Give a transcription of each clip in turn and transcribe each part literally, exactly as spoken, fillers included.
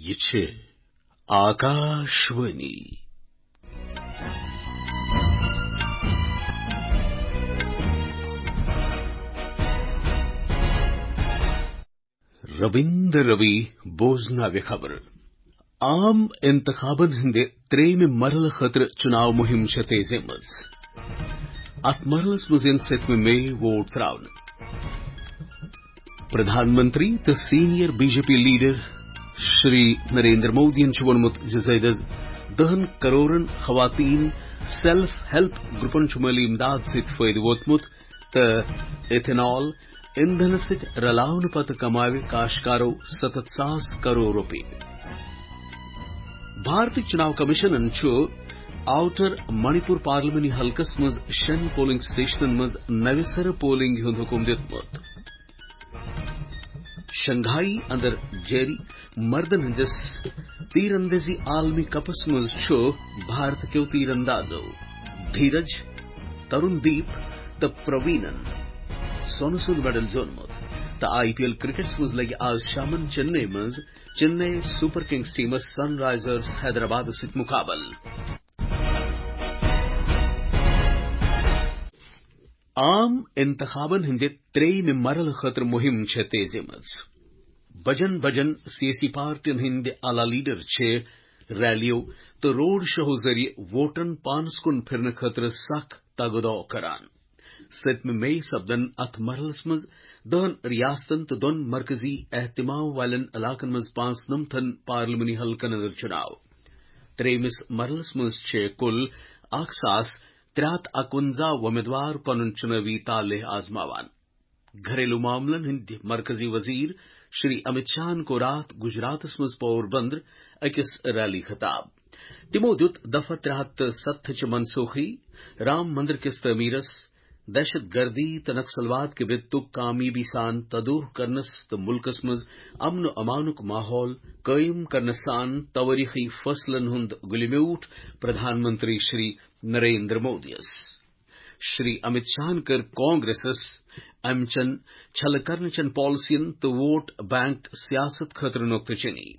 یہِ چھِ آکاشوانی۔ ربیندر روی بوزناوِ خبر۔ عام انتخابن ہٕنٛدِ ترٛیٚیمہِ مرحلہٕ خٲطرٕ چُناو مُہِم چھےٚ تیزی منٛز۔ اتھ مرحلس منٛز یِن ستمہِ مئی ووٹ ترٛاونہٕ۔ پردھان منتری تہٕ senior B J P leader Shri Narendra مودیَن چھُ ووٚنمُت زِ زٲیدٕ دَہَن کرورن خواتین سیلف ہیلپ گروپن چھُ مٲلی امداد سۭتۍ فٲیدٕ ووتمُت تہٕ ایتھنال ایندھنہٕ سۭتۍ رلاونہٕ پتہٕ کماوِ کاشتکارو ستتھ ساس کرور رۄپیہِ۔ بھارتی چُناو کمیشنن چھُ آوٹر منی پور پارلیمانی حلقس منٛز شٮ۪ن پولنگ سٹیشنن منٛز نوِ سرٕ پولنگ ہُنٛد حکم دیُتمُت۔ شنگھائی اندر جٲری مردن ہٕنٛدِس تیر اندازی عالمی کپس منٛز چھُ بھارت کیو تیر اندازو دھیرج، ترون دیپ تہٕ پروینن سونہٕ سُنٛد میڈل زیوٗنمُت۔ تہٕ آئی پی ایل کرکٹس منٛز لگہِ آز شامن چنئی منٛز چنئی سپر کنگز ٹیمس سن رائزرز حیدرآبادس سۭتۍ مقابلہٕ۔ عام انتخابن ہٕنٛدِ ترٛیٚیمہِ مرحلہٕ خٲطرٕ مُہِم چھےٚ تیزی منٛز۔ بجن بجن سیٲسی پارٹین ہٕنٛدۍ اعلیٰ لیڈر چھِ ریلیو تہٕ روڈ شوہو ذٔریعہٕ ووٹرن پانس کُن پھرنہٕ خٲطرٕ سخ تگ و دو کران۔ ستمہِ مئی سپدن اتھ مرحلس منٛز دہن ریاستن تہٕ دۄن مرکزی اہتمام والٮ۪ن علاقن منٛز پانٛژنمتھن پارلیمانی حلقن اندر چُناو۔ ترٛیٚیمِس مرحلس منٛز چھِ کُل اکھ ساس ترٛےٚ ہتھ اکونزہ وۄمیدوار پنُن چُنٲوی طالع آزماوان۔ گھریلو معاملن ہٕنٛدۍ مرکزی وزیر شری امت شاہن کوٚر راتھ گجراتس منٛز پور بندر أکِس ریلی خطاب۔ تِمو دیُت دفعہ ترٛےٚ ہتھ تہٕ ستتھ چہِ منسوخی، رام مندر کِس تعمیرس، دہشت گردی تہٕ نکسلواد کہِ وِتُک کامیٲبی سان تدورخ کرنس تہٕ مُلکس منٛز امن و امانُک ماحول قٲیِم کرنس سان توٲریٖخی فٲصلن ہُنٛد گُلہِ میوٗٹھ پردھان منتری شری نریندر مودیَس۔ شری امت شاہن کٔر کانگریسس امہِ چٮ۪ن چھلہٕ کرنہٕ چٮ۪ن پالیسین تہٕ ووٹ بینک سیاست خٲطرٕ نۄقطہٕ چینی۔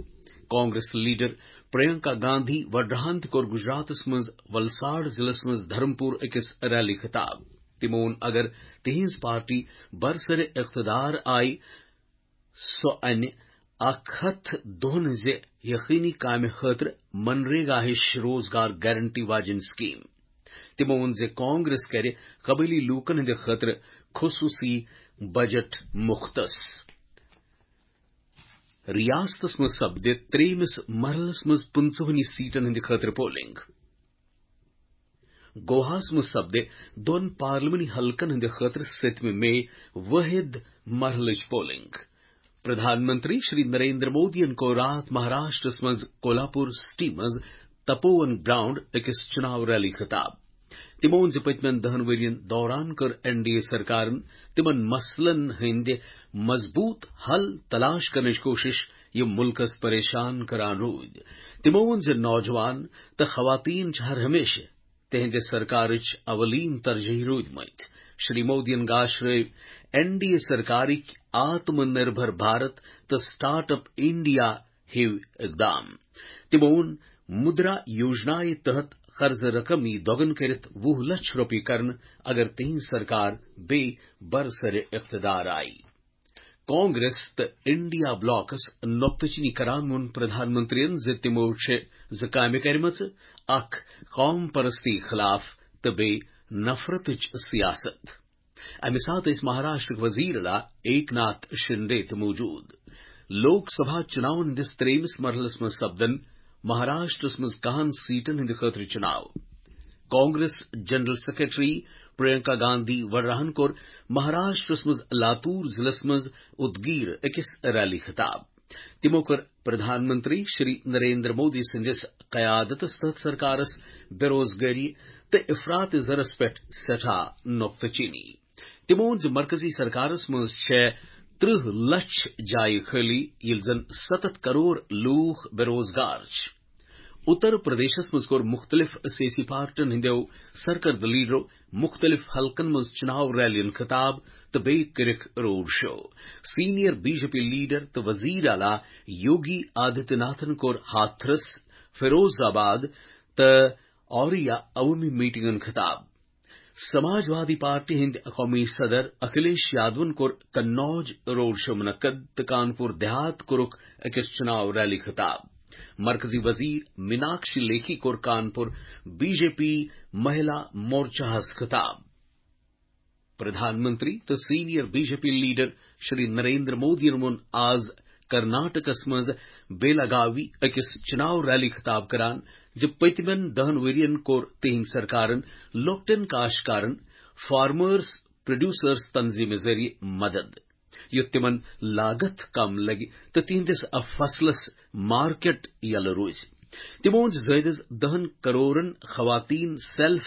کانگریس لیڈر پرینکا گاندھی وڈراہن تہِ کوٚر گجراتس منٛز ولساڑ ضلعس منٛز دھرمپور أکِس ریلی خطاب۔ تِمو ووٚن، اگر تِہنٛز پارٹی برسر اقتدار آیہِ، سۄ انہِ اکھ ہتھ دۄہن ہٕنٛزِ یقینی کامہِ خٲطرٕ منریگا ہِش روزگار گارنٹی واجیٚنۍ سکیٖم۔ تِمو ووٚن زِ کانگریس کرِ قبٲیلی لوٗکن ہٕنٛدِ خٲطرٕ خصوٗصی بجٹ مختص۔ ریاستس منٛز سپدِ ترٛیٚیمِس مرحلس منٛز پٕنٛژٕہنٕے سیٹن ہٕنٛدِ خٲطرٕ پولنگ۔ گواہس منٛز سپدِ دۄن پارلیمانی حلقن ہٕنٛدِ خٲطرٕ ستمہِ مئی وٲحد مرحلٕچ پولنگ۔ پردھان منتری شری نریندر مودیَن کوٚر راتھ مہاراشٹرس منٛز کولاپور سٹی منٛز تپوون گراؤنڈ أکِس چُناو ریلی خطاب۔ تِمو ووٚن زِ پٔتمٮ۪ن دَہَن ؤرۍ یَن دوران کٔر این ڈی اے سرکارن تِمن مسلن ہٕنٛدِ مضبوٗط حل تلاش کرنٕچ کوٗشش، یِم مُلکس پریشان کران روٗدۍ۔ تِمو ووٚن زِ نوجوان تہٕ خواتین چھِ ہر ہمیشہٕ تِہنٛدِ سرکارٕچ اولین ترجیح روٗدمٕتۍ۔ Shri مودیَن گاشرٲوۍ N D A سرکارٕکۍ Atma Nirbhar Bharat تہٕ سٹارٹ اپ انڈیا ہِوۍ اقدام۔ تِمو ووٚن، مدرا یوجنایہِ تحت قرضہٕ رقم یی دۄگن کٔرِتھ وُہ لچھ رۄپیہِ کرنہٕ، اگر تِہنٛز سرکار بیٚیہِ برسر اقتدار آیہِ۔ کانگریس تہٕ انڈیا بلاکس نۄقطہٕ چینی کران ووٚن پردھان منترین زِ تِمو چھِ زٕ کامہِ کرِمژٕ، اکھ قوم پرستی خلاف تہٕ بیٚیہِ نفرتٕچ سیاست۔ امہِ ساتہٕ ٲسۍ مہاراشٹرٕکۍ وزیر اعلیٰ ایک ناتھ شنڈے تہِ موجود۔ لوک سبھا چُناون ہٕنٛدِس ترٛیٚیمِس مرحلس منٛز سپدن مہاراشٹرس منٛز کاہن سیٹن ہٕنٛدِ خٲطرٕ چُناو۔ کانگریس جنرل سیکرٹری پرینکا گاندھی وڈراہن کوٚر مہاراشٹرس منٛز لاتور ضلعس منٛز ادگیر أکِس ریلی خطاب۔ تِمو کٔر پردھان منتری شری نریندر مودی سٕنٛدِس قیادتس تحت سرکارس بے روزگٲری تہٕ افراط زرس پٮ۪ٹھ سٮ۪ٹھاہ نۄقطہٕ چینی۔ تِمو ووٚن زِ مرکزی سرکارس منٛز چھےٚ ترٕٛہ لچھ جایہِ خٲلی، ییٚلہِ زن ستتھ کرور لوٗکھ بے روزگار چھِ۔ اتر پردیشس منٛز کوٚر مختلف سیٲسی پارٹین ہٕنٛدیو سرکردٕ لیڈرو مختلف حلقن منٛز چناو ریلین خطاب تہٕ بیٚیہِ کٔرِکھ road show. Senior B J P leader تہٕ وزیر اعلیٰ یوگی آدتیہ ناتھن کوٚر ہاتھرس، فیروز آباد تہٕ اوریا عوٲمی میٹنگن خطاب۔ سماجوادی پارٹی ہٕنٛدۍ قومی صدر اکھلیش یادون کوٚر کنوج روڈ شو منعقد تہٕ کانپور دیہات کوٚرُکھ أکِس چناو ریلی خطاب۔ مرکزی وزیر میناکشی لیکھی کوٚر کانپور بی جے پی مہیلا مورچاہس خطاب۔ پردھان منتری تہٕ senior B J P leader Shri Narendra مودیَن ووٚن آز کرناٹکس منٛز بیلگاوی أکِس چناو ریلی خطاب کران زِ پٔتمٮ۪ن دہن ؤرین کوٚر تِہنٛدۍ سرکارن لۄکٹٮ۪ن کاشتکارن، فارمرز پروڈیوسرز تنظیمہِ ذٔریعہٕ مدد، یُتھ تِمن لاگت کم لگہِ تہٕ تِہنٛدِس فصلس مارکیٹ یلہٕ روزِ۔ تِمو ووٚن زِ زٲیدس دہن کرورن خواتین سیلف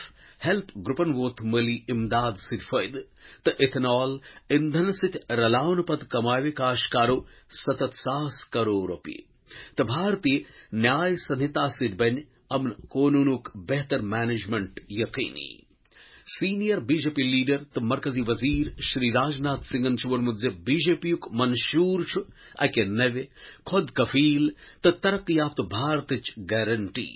ہیلپ گروپن ووت مٲلی امداد سۭتۍ فٲیدٕ تہٕ ایتھنال ایندھن سۭتۍ رلاونہٕ پتہٕ کماوِ کاشتکارو ستتھ ساس کرور رۄپیہِ۔ تہٕ بھارتی نیاے سنہتا سۭتۍ بنہِ امن قونوٗنُک بہتر مینجمنٹ یقینی۔ Senior B J P leader تہٕ مرکزی وزیر شری راجناتھ سنگھن چھُ ووٚنمُت زِ بی جے پی یُک منشور چھُ اکہِ نوِ، خود کفیل تہٕ ترقی یافتہٕ بھارتٕچ گارنٹی۔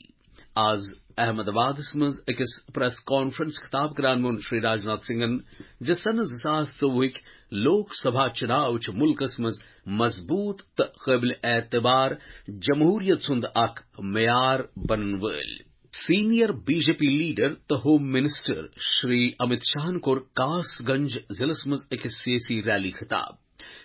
آز احمد آبادس منٛز أکِس پریس کانفرنس خطاب کران ووٚن شری راجناتھ سنگھن زِ سنہٕ زٕ ساس ژوٚوُہٕکۍ لوک سبھا چناو چھِ ملکس منٛز مضبوط تہٕ قٲبل اعتبار جمہوریت سُنٛد اکھ معیار بنن وٲلۍ۔ Senior B J P leader تہٕ ہوم منسٹر شری امت شاہن کوٚر کاس گنج ضلعس منٛز أکِس سیٲسی ریلی خطاب۔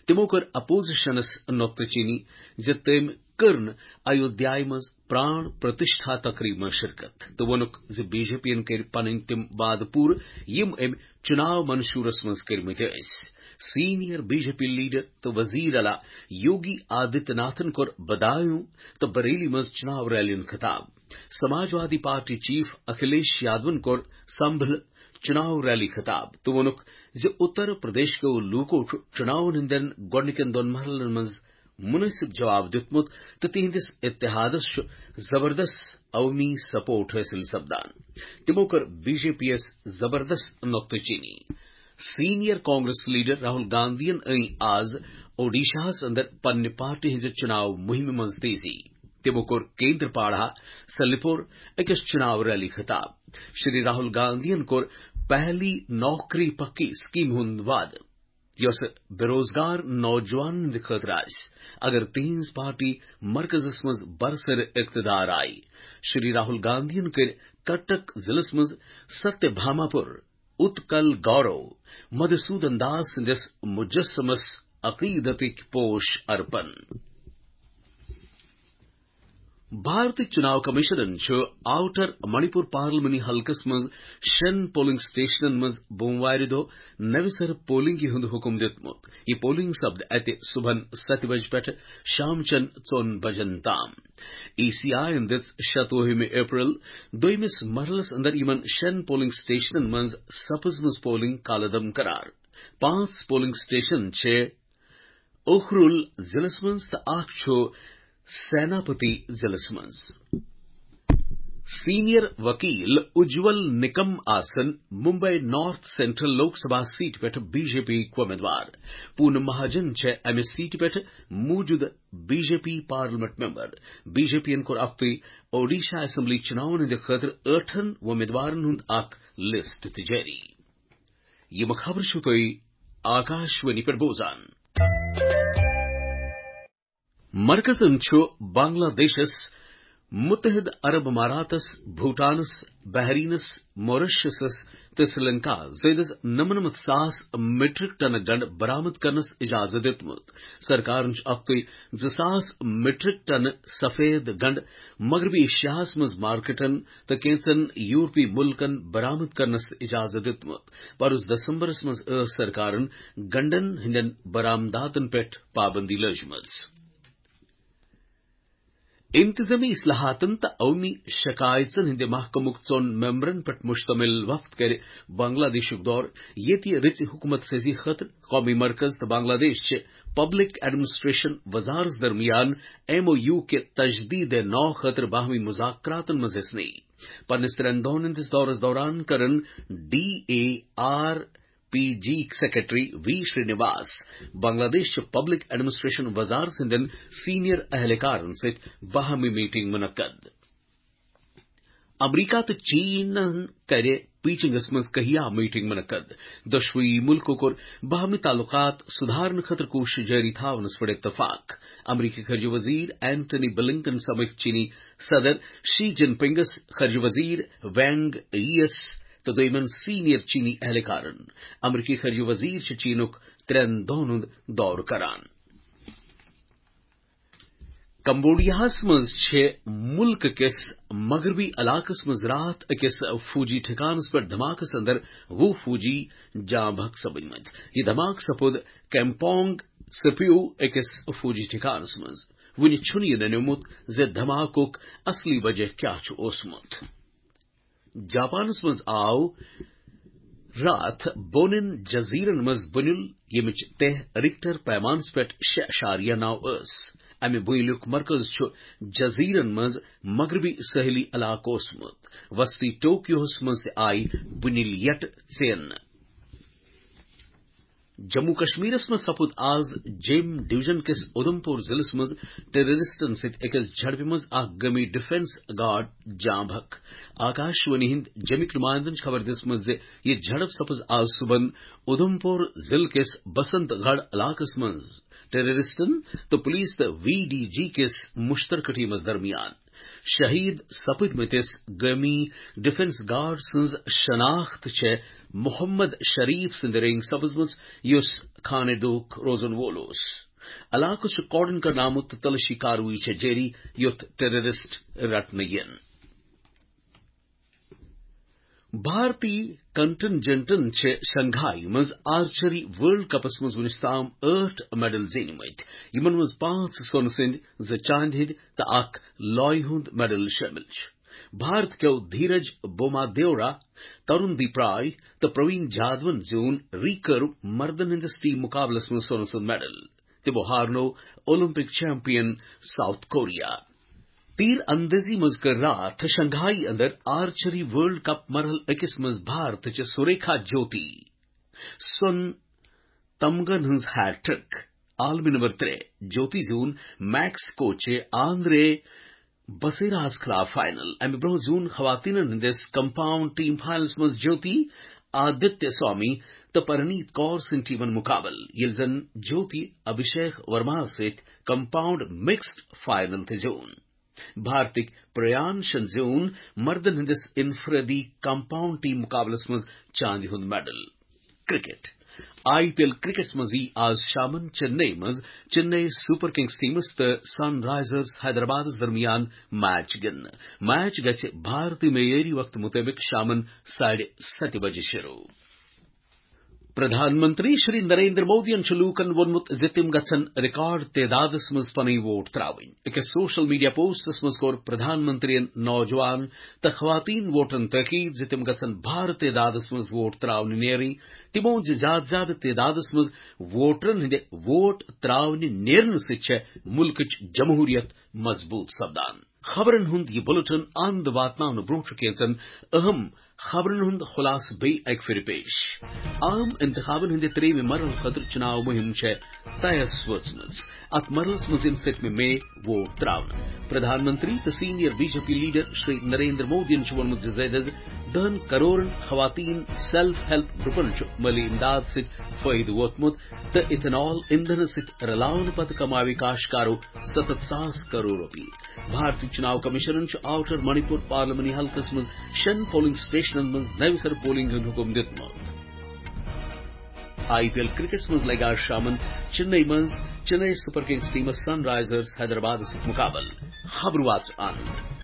تِمو کٔر اپوزیشنس نۄکتہٕ چینی زِ تٔمۍ کٔر نہٕ ایودھیایہِ منٛز پران پرتشٹھا تقریب منٛز شرکت تہٕ ووٚنُکھ زِ بی جے پی ین کٔرۍ پنٕنۍ تِم وعدٕ پوٗرٕ یِم أمۍ چناو منشورس منٛز کٔرمٕتۍ ٲسۍ۔ Senior B J P leader تہٕ وزیر اعلیٰ یوگی آدتیہ ناتھن کوٚر بدایوں تہٕ بریلی منٛز چناو ریلین خطاب۔ سماجوادی پارٹی چیف اکھلیش یادون کوٚر سمبھل چناو ریلی خطاب تہٕ ووٚنُکھ زِ اتر پردیش کیو لوٗکو چھُ چناون ہٕنٛدٮ۪ن گۄڈٕنِکٮ۪ن دۄن مرحلن منٛز مناسب جواب دیُتمُت تہٕ تِہنٛدِس اتحادس چھُ زبردست عوٲمی سپورٹ حٲصِل سپدان۔ تِمو کٔر بی جے پی یس زبردست نۄکتہٕ چینی۔ سینئر کانگریس لیڈر راہل گاندھین أنۍ آز اوڈیشاہس اندر پننہِ پارٹی ہٕنٛزِ چناو مُہِمہِ منٛز تیزی۔ تِمو کوٚر کیندرپاڑا سلیپور أکِس چناو ریلی خطاب۔ شری راہل گاندھین کوٚر پہلی نوکری پکی سکیمہِ ہُنٛد وعدٕ، یۄسہٕ بے روزگار نوجوانن ہٕنٛدِ خٲطرٕ آسہِ، اگر تِہنٛز پارٹی مرکزس منٛز برسر اقتدار آیہِ۔ شری راہل گاندھین کٔرۍ کٹک ضلعس منٛز ستیہ بھاماپور اتکل گورو مدھوسودن داس سٕنٛدِس مجسمس عقیدتٕکۍ پوش ارپن۔ بھارتی چناو کمیشنن چھُ آوٹر منی پور پارلیمانی حلقس منٛز شٮ۪ن پولنگ سٹیشنن منٛز بوموارِ دۄہ نوِ سرٕ پولنگہِ ہُنٛد حکم دیُتمُت۔ یہِ پولنگ سپدِ اتہِ صبحن ستہِ بجہِ پٮ۪ٹھٕ شامچٮ۪ن ژۄن بجن تام۔ ای سی آی یَن دِژ شتوُہمہِ اپریل دوٚیمِس مرحلس اندر یِمن شٮ۪ن پولنگ سٹیشنن منٛز سپٕزمٕژ پولنگ کالعدم قرار۔ پانٛژھ پولنگ سٹیشن چھِ اُخرُل ضلعس منٛز تہٕ اکھ چھُ سیناپتی ضلعس منٛز۔ سینئر وکیل اجول نکم آسن Mumbai north central Lok Sabha seat پٮ۪ٹھ بی جے پی وۄمیدوار۔ پونم مہاجن چھےٚ امہِ سیٹ پٮ۪ٹھ موجودٕ B J P parliament member. B J P ین کوٚر اکھتُے اوڈیشا اسمبلی چناون ہٕنٛدِ خٲطرٕ ٲٹھن وۄمیدوارن ہُنٛد اکھ لسٹ تہِ جٲری۔ یِم خبرٕ چھِو تُہۍ آکاشوانی پٮ۪ٹھ بوزان۔ مرکزن چھُ بنگلہ دیشس، متحدہ عرب اماراتس، بھوٹانس، بحرینس، موریشسس تہٕ سری لنکا زٲیدس نمنمتھ ساس میٹرک ٹن گنڈٕ برآمد کرنس اجازت دیُتمُت۔ سرکارن چھُ اکھتُے زٕ ساس میٹرک ٹن سفید گنڈٕ مغربی ایشیاہس منٛز مارکیٹن تہٕ کینژن یورپی ملکن برآمد کرنس اجازت دیُتمُت۔ پرُس دسمبرس منٛز ٲس سرکارن گنڈن ہٕنٛدٮ۪ن برآمداتن پٮ۪ٹھ پابندی لٲجمٕژ۔ انتظامی اصلاحاتن تہٕ عوٲمی شکایژن ہٕنٛدِ محکمُک ژۄن ممبرن پٮ۪ٹھ مشتمل وفد کرِ بنگلہ دیشُک دورٕ، ییٚتہِ رٕژِ حکومت سازی خٲطرٕ قومی مرکز تہٕ بنگلہ دیش چہِ پبلک ایڈمنسٹریشن وزارت درمیان ایم او یو کہِ تجدید نو خٲطرٕ باہمی مذاکراتن منٛز حصہٕ نِیہِ۔ پننِس ترٛٮ۪ن دۄہن ہٕنٛدِس دورس دوران کرن D A R P G secretary V Srinivas Bangladesh چہِ پبلک ایڈمنسٹریشن وزارت سٕنٛدٮ۪ن سینئر اہلکارن سۭتۍ باہمی میٹنگ منعقد۔ امریکہ تہٕ چینن کرِ پیکنگس منٛز کہیا میٹنگ منعقد۔ دۄشوٕے مُلکو کوٚر باہمی تعلقات سُدھارنہٕ خٲطرٕ کوٗشش جٲری تھاونس پٮ۪ٹھ اتفاق۔ امریکی خارجہ وزیر اینتھنی بلنکن سمکھ چینی صدر شی جن پنگس، خارجہ وزیر وینگ ییس تہٕ دوٚیمٮ۪ن سینئر چینی اہلکارن۔ امریکی خارجہ وزیر چھِ چینُک ترٛٮ۪ن دۄہن ہُنٛد دورٕ کران۔ کمبوڈیاہس منٛز چھِ مُلکہٕ کِس مغربی علاقس منٛز راتھ أکِس فوجی ٹھکانس پٮ۪ٹھ دھماکس اندر وُہ فوجی جاں بحق سپدمٕتۍ۔ یہِ دھماکہٕ سپُد کیمپونگ سپیو أکِس فوجی ٹھکانس منٛز۔ وُنہِ چھُنہٕ یہِ ننیومُت زِ دھماکُک اصلی وجہ کیٛاہ چھُ اوسمُت۔ جاپانس منٛز آو راتھ بونن جزیرن منٛز بُنیُل، ییٚمِچ تہہ رِکٹر پیمانس پٮ۪ٹھ شےٚ اعشاریہ نو ٲس۔ امہِ بُنیُلُک مرکز چھُ جزیرن منٛز مغربی ساحلی علاقہٕ اوسمُت۔ وسطی ٹوکیوہس منٛز تہِ آیہِ بُنیُل یٹہٕ ژینہٕ۔ جموں کشمیرس منٛز سپُد آز جیم ڈویژن کِس اُدھمپور ضلعس منٛز ٹیررسٹن سۭتۍ أکِس جھڑپہِ منٛز اکھ گٲمی ڈیفنس گارڈ جاں بحق۔ آکاش وانی ہٕنٛدۍ جیمِکۍ نُمایندن چھِ خبر دِژمٕژ زِ یہِ جھڑپ سپٕز آز صُبحن اُدھمپور ضلعہٕ کِس بسنت گڑھ علاقس منٛز ٹیررسٹن تہٕ پولیس تہٕ وی ڈی جی کِس مشترکہٕ ٹیمس درمیان۔ شہید سپدمتِس گٲمی ڈیفنس گارڈ سٕنٛز شناخت چھےٚ محمد شریف سٕنٛدِ رنگہٕ سپٕزمٕژ، یُس خانہ دوک روزن وول اوس۔ علاقس چھُ کارڈن کرنہٕ آمُت تہٕ تلٲشی کاروٲیی چھےٚ جٲری، یُتھ ٹیررسٹ رٹنہٕ یِن۔ بھارتی کنٹنجنٹن چھِ شنگھائی منٛز آرچری ورلڈ کپس منٛز وُنیُس تام ٲٹھ میڈل زیٖنۍمٕتۍ، یِمن منٛز پانٛژھ سۄنہٕ سٕنٛدۍ، زٕ چاندِ ہٕنٛدۍ تہٕ اکھ لویہِ ہُنٛد میڈل شٲمِل چھِ۔ بھارت کیو دھیرج بوما دیورا، ترون دیپ راے تہٕ پروین جادون زیوٗن ریکرو مردن ہٕنٛدِس ٹیم مقابلس منٛز سۄنہٕ سُنٛد میڈل۔ تِمو ہارنوو اولمپک چیمپئن ساؤتھ کوریا۔ تیر اندازی منٛز کٔر راتھ شنگھائی اندر آرچری ورلڈ کپ مرحلہٕ أکِس منٛز بھارتٕچ سریکھا جوتی سۄن تمغن ہٕنٛز ہیٹرک۔ عالمی نمبر ترٛےٚ جوتی زیوٗن میکسکو چہِ آندرے بسیراہس خلاف فائنل۔ امہِ برونٛہہ زیوٗن خواتینن ہٕنٛدِس کمپاؤنڈ ٹیم فائنلس منٛز جوتی آدتیہ سوامی تہٕ پرنیت کور سٕنٛدۍ ٹیمن مقابلہٕ، ییٚلہِ زن جوتی ابھیشیک ورماہس سۭتۍ کمپاؤنڈ مکسڈ فائنل تہِ زیوٗن۔ بھارتٕکۍ پریانشن زیوٗن مردن ہٕنٛدِس انفرادی کمپاؤنڈ ٹیم مقابلس منٛز چاندِ ہُنٛد medal. Cricket. I P L کرکٹس منٛز یی آز شامن چنئی منٛز چنئی سپر کنگز ٹیمس تہٕ سن رائزرز حیدرآبادس درمیان میچ گِنٛدنہٕ۔ میچ گژھِ بھارتی معیٲری وقتہٕ مُطٲبِق شامن ساڑِ ستہِ بجہِ شروع۔ پردھان منتری شری نریندر مودیَن چھُ لوٗکَن ووٚنمُت زِ تِم گژھن ریکارڈ تعدادَس منٛز پنٕنۍ ووٹ ترٛاوٕنۍ۔ أکِس سوشل میڈیا پوسٹَس منٛز کوٚر پردھان منتریَن نوجوان تہٕ خواتین ووٹرَن تاکید زِ تِم گژھن بھارٕ تعدادَس منٛز ووٹ ترٛاونہِ نیرٕنۍ۔ تِمو ووٚن زِ زیادٕ زیادٕ تعدادَس منٛز ووٹرَن ہٕنٛدِ ووٹ ترٛاونہِ نیرنہٕ سۭتۍ چھےٚ مُلکٕچ جمہوٗریت مضبوٗط سپدان۔ خبرن ہُنٛد یہِ بلیٹن اند واتناونہٕ برونٛہہ چھُ کینٛژن اہم خبرن ہُنٛد خلاصہٕ بیٚیہِ اکہِ پھِرِ پیش۔ عام انتخابن ہٕنٛدِ ترٛیٚیِمہِ مرحلہٕ خٲطرٕ چُناو مُہِم چھےٚ طے وٲژمٕژ۔ اتھ مرحلس منٛز یِن ستمہِ مئی ووٹ ترٛاونہٕ۔ پردھان منتری تہٕ senior B J P leader Shri Narendra مودیَن چھُ ووٚنمُت زِ زیادٕ از دَہَن کرورن خواتین سیلف ہیلپ گروپن چھُ مٲلی امداد سۭتۍ فٲیدٕ ووتمُت تہٕ ایتھنال ایندھنہٕ سۭتۍ رلاونہٕ پتہٕ کماوِ کاشتکارو ستتھ ساس کرور رۄپیہِ۔ بھارتی چُناو کمیشنن چھُ آوٹر منی پور پارلیمانی حلقس منٛز شٮ۪ن پولنگ سٹیشنن منٛز نوِ سرٕ پولنگ ہُنٛد حُکم دیُتمُت۔ آئی پی ایل کرکٹس منٛز لگہِ آز شامن چنئی منٛز چنئی سپر کنگز ٹیمس سن رائزرز حیدرآبادس سۭتۍ مقابلہٕ۔ خبرٕ واژٕ اند۔